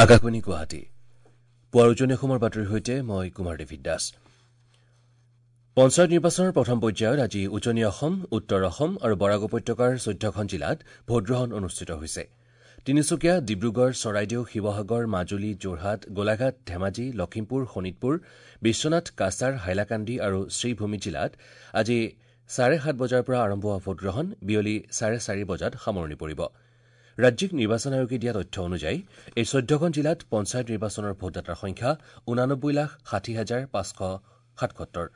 আকাশবাণী গুৱাহাটী পুৱাৰ উজনি অসমৰ বাতৰিৰ সৈতে মই কুমাৰ ডেভিড দাস। পঞ্চায়ত নিৰ্বাচনৰ প্ৰথম পৰ্যায়ত আজি উজনি অসম, উত্তৰ অসম আৰু বৰাক উপত্যকাৰ ১৪খন জিলাত ভোটগ্ৰহণ অনুষ্ঠিত হৈছে। তিনিচুকীয়া, ডিব্ৰুগড়, চৰাইদেউ, শিৱসাগৰ, মাজুলী, যোৰহাট, গোলাঘাট, ধেমাজি, লখিমপুৰ, শোণিতপুৰ, বিশ্বনাথ, কাছাৰ, হাইলাকান্দি আৰু শ্ৰীভূমি জিলাত আজি ৭:৩০ বজাৰ পৰা আৰম্ভ হোৱা ভোটগ্ৰহণ বিয়লি ৪:৩০ বজাত সামৰণি পৰিব। ৰাজ্যিক নিৰ্বাচন আয়োগে দিয়া তথ্য অনুযায়ী এই ১৪খন জিলাত পঞ্চায়ত নিৰ্বাচনৰ ভোটদাতাৰ সংখ্যা ৮৯,৬০,৫৭৭।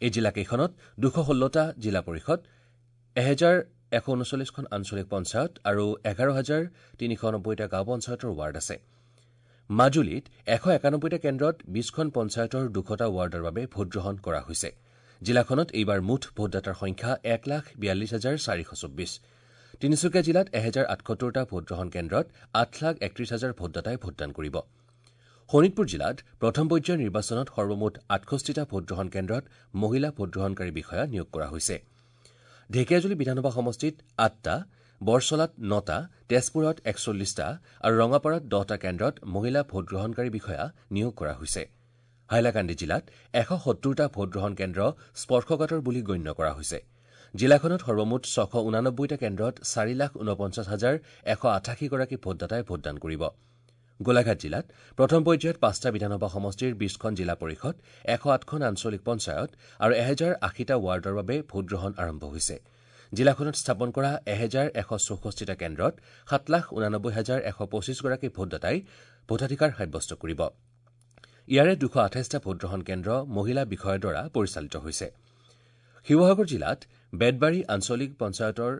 এই জিলাকেইখনত ২১৬টা জিলা পৰিষদ, ১১৩৯খন আঞ্চলিক পঞ্চায়ত আৰু ১১,৩৯০টা গাঁও পঞ্চায়তৰ ৱাৰ্ড আছে। মাজুলীত ১৯১টা কেন্দ্ৰত ২০খন পঞ্চায়তৰ ২০০টা ৱাৰ্ডৰ বাবে ভোটগ্ৰহণ কৰা হৈছে। জিলাখনত এইবাৰ মুঠ ভোটদাতাৰ সংখ্যা ১,৪২,৪২৪। তিনিচুকীয়া জিলাত ১০৭৮টা ভোটগ্ৰহণ কেন্দ্ৰত ৮,৩১,০০০ ভোটদাতাই ভোটদান কৰিব। শোণিতপুৰ জিলাত প্ৰথম পৰ্যায়ৰ নিৰ্বাচনত সৰ্বমুঠ ৬৮টা ভোটগ্ৰহণ কেন্দ্ৰত মহিলা ভোটগ্ৰহণকাৰী বিষয়া নিয়োগ কৰা হৈছে। ঢেকীয়াজুলি বিধানসভা সমষ্টিত ৮টা, বৰচলাত ৯টা, তেজপুৰত ৪১টা আৰু ৰঙাপাৰাত ১০টা কেন্দ্ৰত মহিলা ভোটগ্ৰহণকাৰী বিষয়া নিয়োগ কৰা হৈছে। হাইলাকান্দি জিলাত ১৭০টা ভোটগ্ৰহণ কেন্দ্ৰ স্পৰ্শকাতৰ বুলি গণ্য কৰা হৈছে। জিলাখনত সৰ্বমুঠ ৬৮৯টা কেন্দ্ৰত ৪,৪৯,১৮৮ গৰাকী ভোটদাতাই ভোটদান কৰিব। গোলাঘাট জিলাত প্ৰথম পৰ্যায়ত ৫টা বিধানসভা সমষ্টিৰ ২০খন জিলা পৰিষদ, ১০৮খন আঞ্চলিক পঞ্চায়ত আৰু ১০৮০টা ৱাৰ্ডৰ বাবে ভোটগ্ৰহণ আৰম্ভ হৈছে। জিলাখনত স্থাপন কৰা ১১৬৪টা কেন্দ্ৰত ৭,৮৯,১২৫ গৰাকী ভোটদাতাই ভোটাধিকাৰ সাব্যস্ত কৰিব। ইয়াৰে ২২৮টা ভোটগ্ৰহণ কেন্দ্ৰ মহিলা বিষয়াৰ দ্বাৰা পৰিচালিত হৈছে। শিৱসাগৰ জিলাত বেতবাৰী আঞ্চলিক পঞ্চায়তৰ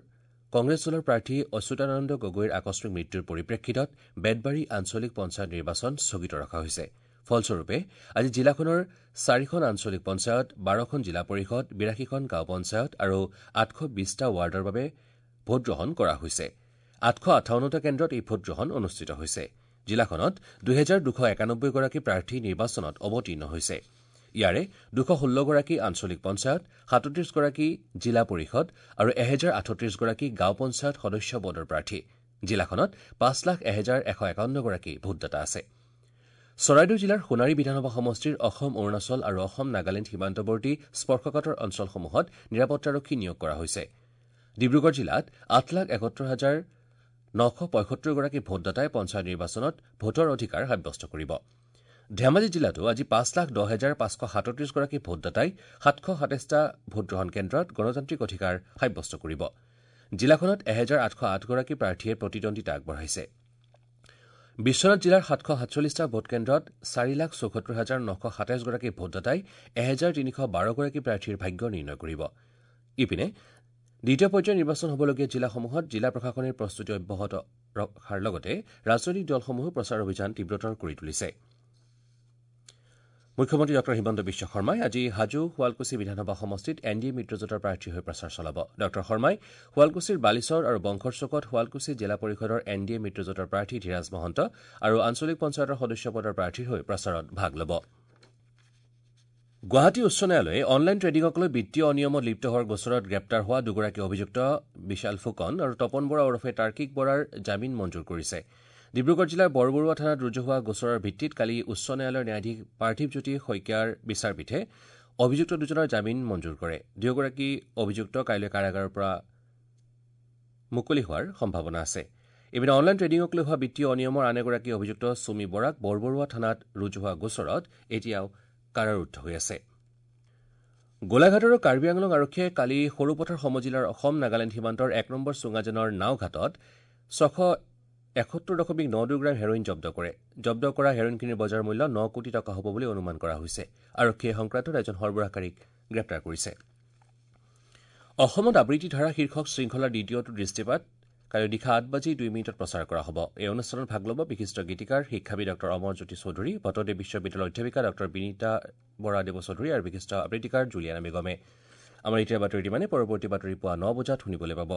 কংগ্ৰেছ দলৰ প্ৰাৰ্থী অচ্যুতানন্দ গগৈৰ আকস্মিক মৃত্যুৰ পৰিপ্ৰেক্ষিতত বেতবাৰী আঞ্চলিক পঞ্চায়ত নিৰ্বাচন স্থগিত ৰখা হৈছে। ফলস্বৰূপে আজি জিলাখনৰ ৪খন আঞ্চলিক পঞ্চায়ত, ১২খন জিলা পৰিষদ, ৮২খন গাঁও পঞ্চায়ত আৰু ৮২০টা ৱাৰ্ডৰ বাবে ভোটগ্ৰহণ কৰা হৈছে। ৮৫৮টা কেন্দ্ৰত এই ভোটগ্ৰহণ অনুষ্ঠিত হৈছে। জিলাখনত ২২৯১ গৰাকী প্ৰাৰ্থী নিৰ্বাচনত অৱতীৰ্ণ হৈছে। ইয়াৰে ২১৬ গৰাকী আঞ্চলিক পঞ্চায়ত, ৩৭ গৰাকী জিলা পৰিষদ আৰু ১০৩৮ গৰাকী গাঁও পঞ্চায়ত সদস্য পদৰ প্ৰাৰ্থী। জিলাখনত ৫,০১,১৫১ গৰাকী ভোটদাতা আছে। চৰাইদেউ জিলাৰ সোণাৰী বিধানসভা সমষ্টিৰ অসম অৰুণাচল আৰু অসম নাগালেণ্ড সীমান্তৱৰ্তী স্পৰ্শকাতৰ অঞ্চলসমূহত নিৰাপত্তাৰক্ষী নিয়োগ কৰা হৈছে। ডিব্ৰুগড় জিলাত ৮,৭১,৯৭৫ গৰাকী ভোটদাতাই পঞ্চায়ত নিৰ্বাচনত ভোটৰ অধিকাৰ সাব্যস্ত কৰিব। ধেমাজি জিলাতো আজি ৫,১০,৫৩৭ গৰাকী ভোটদাতাই ৭২৭টা ভোটগ্ৰহণ কেন্দ্ৰত গণতান্ত্ৰিক অধিকাৰ সাব্যস্ত কৰিব। জিলাখনত ১৮০৮ গৰাকী প্ৰাৰ্থীয়ে প্ৰতিদ্বন্দ্বিতা আগবঢ়াইছে। বিশ্বনাথ জিলাৰ ৭৪৭টা ভোটকেন্দ্ৰত ৪,৭৪,৯২৭ গৰাকী ভোটদাতাই ১৩১২ গৰাকী প্ৰাৰ্থীৰ ভাগ্য নিৰ্ণয় কৰিব। ইপিনে দ্বিতীয় পৰ্যায়ৰ নিৰ্বাচন হ'বলগীয়া জিলাসমূহত জিলা প্ৰশাসনে প্ৰস্তুতি অব্যাহত ৰখাৰ লগতে ৰাজনৈতিক দলসমূহেও প্ৰচাৰ অভিযান তীব্ৰতৰ কৰি তুলিছে। মুখ্যমন্ত্ৰী ডঃ হিমন্ত বিশ্ব শৰ্মাই আজি হাজো শুৱালকুছি বিধানসভা সমষ্টিত এন ডি এ মিত্ৰজোঁটৰ প্ৰাৰ্থী হৈ প্ৰচাৰ চলাব। ডঃ শৰ্মাই শুৱালকুছিৰ বালিচৰ আৰু বংশৰ চকত শুৱালকুছি জিলা পৰিষদৰ এন ডি এ মিত্ৰজোঁটৰ প্ৰাৰ্থী ধীৰাজ মহন্ত আৰু আঞ্চলিক পঞ্চায়তৰ সদস্য পদৰ প্ৰাৰ্থীৰ হৈ প্ৰচাৰত ভাগ ল'ব। গুৱাহাটী উচ্চ ন্যায়ালয়ে অনলাইন ট্ৰেডিঙক লৈ বিত্তীয় অনিয়মত লিপ্ত হোৱাৰ গোচৰত গ্ৰেপ্তাৰ হোৱা দুগৰাকী অভিযুক্ত বিশাল ফুকন আৰু তপন বৰা ওৰফে তাৰ্কিক বৰাৰ জামিন মঞ্জুৰ কৰিছে। ডিব্ৰুগড় জিলাৰ বৰবৰুৱা থানাত ৰুজু হোৱা গোচৰৰ ভিত্তিত কালি উচ্চ ন্যায়ালয়ৰ ন্যায়াধীশ পাৰ্থিৱজ্যোতি শইকীয়াৰ বিচাৰপীঠে অভিযুক্ত দুজনৰ জামিন মঞ্জুৰ কৰে। দুয়োগৰাকী অভিযুক্ত কাইলৈ কাৰাগাৰৰ পৰা মুকলি হোৱাৰ সম্ভাৱনা আছে। ইপিনে অনলাইন ট্ৰেডিঙক লৈ হোৱা বিত্তীয় অনিয়মৰ আন এগৰাকী অভিযুক্ত চুমি বৰাক বৰবৰুৱা থানাত ৰুজু হোৱা গোচৰত এতিয়াও কাৰাৰুদ্ধ হৈ আছে। গোলাঘাট আৰু কাৰ্বি আংলং আৰক্ষীয়ে কালি সৰুপথাৰ সমজিলাৰ অসম নাগালেণ্ড সীমান্তৰ ১ নম্বৰ চুঙাজানৰ নাওঘাটত ৬৭১.৯২ গ্ৰাম হেৰইন জব্দ কৰে। জব্দ কৰা হেৰইনখিনিৰ বজাৰ মূল্য ৯ কোটি টকা হ'ব বুলি অনুমান কৰা হৈছে। আৰক্ষীয়ে সংক্ৰান্তত এজন সৰবৰাহকাৰীক গ্ৰেপ্তাৰ কৰিছে। অসমত আবৃত্তি ধাৰা শীৰ্ষক শৃংখলাৰ দ্বিতীয়টো দৃষ্টিপাত কাইলৈ নিশা ৮:০২ প্ৰচাৰ কৰা হ'ব। এই অনুষ্ঠানত ভাগ ল'ব বিশিষ্ট গীতিকাৰ শিক্ষাবিদ ডঃ অমৰজ্যোতি চৌধুৰী, ভট্টদেৱ বিশ্ববিদ্যালয়ৰ অধ্যাপিকা ডঃ বিনীতা বৰা দেৱ চৌধুৰী আৰু বিশিষ্ট আবৃত্তিকাৰ জুলিয়ানা বেগমে। আমাৰ এতিয়াৰ বাতৰি ইমানে। পৰৱৰ্তী বাতৰি পুৱা ৯ বজাত শুনিবলৈ পাব।